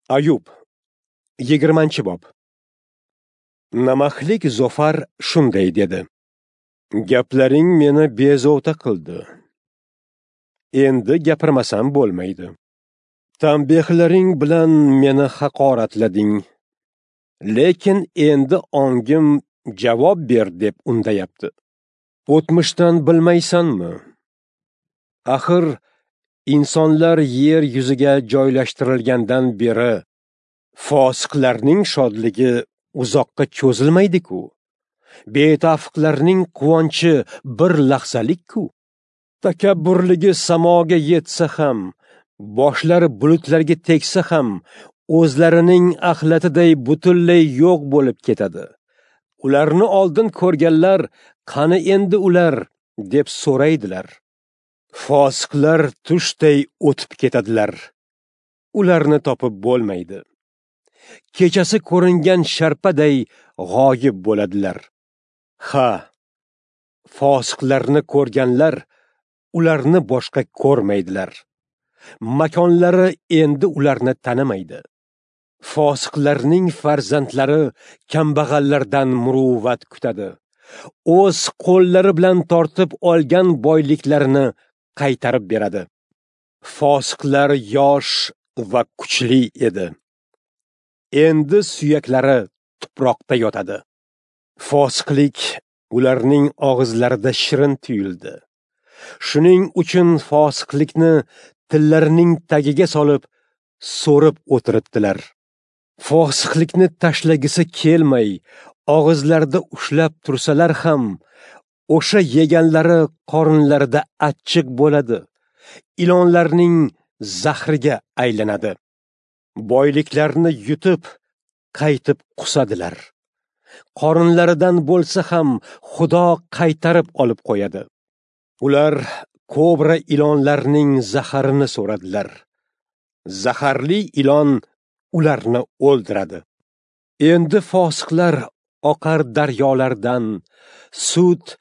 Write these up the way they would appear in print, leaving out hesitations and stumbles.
Ayub, 20-bob. Namaxlik Zofar shunday dedi: Gaplaring meni bezovta qildi. Endi gapirmasam bo'lmaydi. Tanbehlaring bilan meni haqoratlading. Lekin endi ongim javob ber deb undayapti. O'tmishdan bilmaysanmi? Axir insonlar yer yuziga joylashtirilgandan beri fosiqlarning shodligi uzoqqa cho'zilmaydi-ku. Betafiqlarning quvonchi bir lahzalik-ku. Takabburligi samoga yetsa ham, boshlari bulutlarga tegsa ham, o'zlarining axlatiday butunlay yo'q bo'lib ketadi. Ularni oldin ko'rganlar, qani endi ular, deb so'raydilar. Fosiqlar tushday o'tib ketadilar. Ularni topib bo'lmaydi. Kechasi ko'ringan sharpaday g'oyib bo'ladilar. Ha, fosiqlarni ko'rganlar ularni boshqa ko'rmaydilar. Makonlari endi ularni tanimaydi. Fosiqlarning farzandlari kambag'allardan muruvvat kutadi. O'z qo'llari bilan tortib olgan boyliklarini qaytarib beradi. Fosiqlar yosh va kuchli edi. Endi suyaklari tuproqda yotadi. Fosiqlik ularning og'izlarida shirin tuyuldi. Shuning uchun fosiqlikni tillarining tagiga solib, so'rib o'tiribdilar. Fosiqlikni tashlagisi kelmay, og'izlarida ushlab tursalar ham, o'sha yeganlari qorinlarida achchiq bo'ladi. Ilonlarning zahriga aylanadi. Boyliklarni yutib, qaytib qusadilar. Qorinlaridan bo'lsa ham Xudo qaytarib olib qo'yadi. Ular kobra ilonlarning zaharini so'radilar. Zaharli ilon ularni o'ldiradi. Endi fosiqlar oqar daryolardan, sut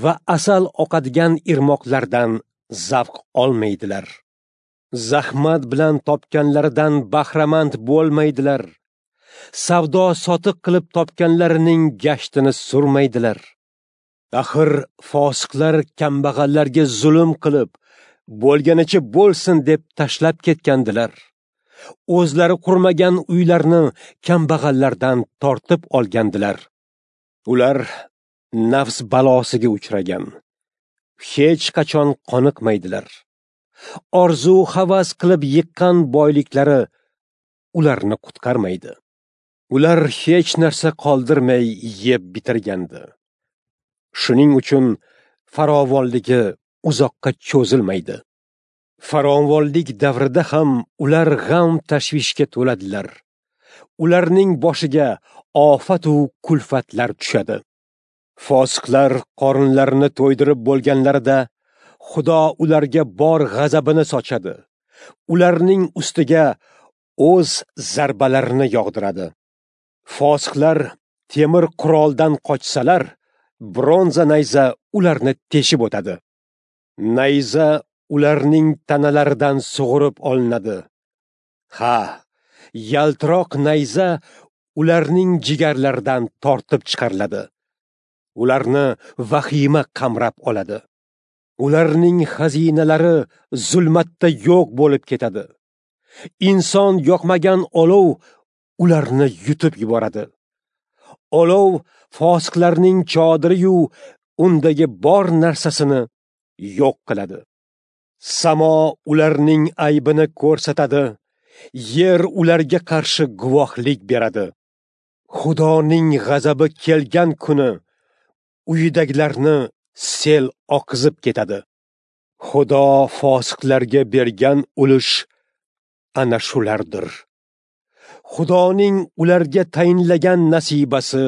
va asal oqadigan irmoqlardan zavq olmaydilar. Zahmat bilan topganlaridan bahramand bo'lmaydilar. Savdo sotiq qilib topganlarining gashtini surmaydilar. Axir fosiqlar kambag'allarga zulm qilib, bo'lganicha bo'lsin deb tashlab ketgandilar. O'zlari qurmagan uylarni kambag'allardan tortib olgandilar. Ular nafs balosiga uchragan. Hech qachon qoniqmaydilar. Orzu havas qilib yiqqan boyliklari ularni qutqarmaydi. Ular hech narsa qoldirmay yeb bitirgandi. Shuning uchun farovonligi uzoqqa cho'zilmaydi. Farovonlik davrida ham ular g'am tashvishga to'ladilar. Ularning boshiga ofat u kulfatlar tushadi. Fosiqlar qorinlarini to'ydirib bo'lganlarida Xudo ularga bor g'azabini sochadi. Ularning ustiga o'z zarbalarini yog'diradi. Fosiqlar temir quroldan qochsalar, bronza nayza ularni teshib o'tadi. Nayza ularning tanalaridan sug'urib olinadi. Ha, yaltiroq nayza ularning jigarlaridan tortib chiqariladi. Ularni vahima qamrab oladi. Ularning xazinalari zulmatda yo'q bo'lib ketadi. Inson yoqmagan olov ularni yutib yuboradi. Olov fosiqlarning chodiri-yu undagi bor narsasini yo'q qiladi. Samo ularning aybini ko'rsatadi, yer ularga qarshi guvohlik beradi. Xudoning g'azabi kelgan kuni uyidagilarni sel oqizib ketadi. Xudo fosiqlarga bergan ulush ana shulardir. Xudoning ularga tayinlagan nasibasi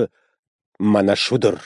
mana shudir.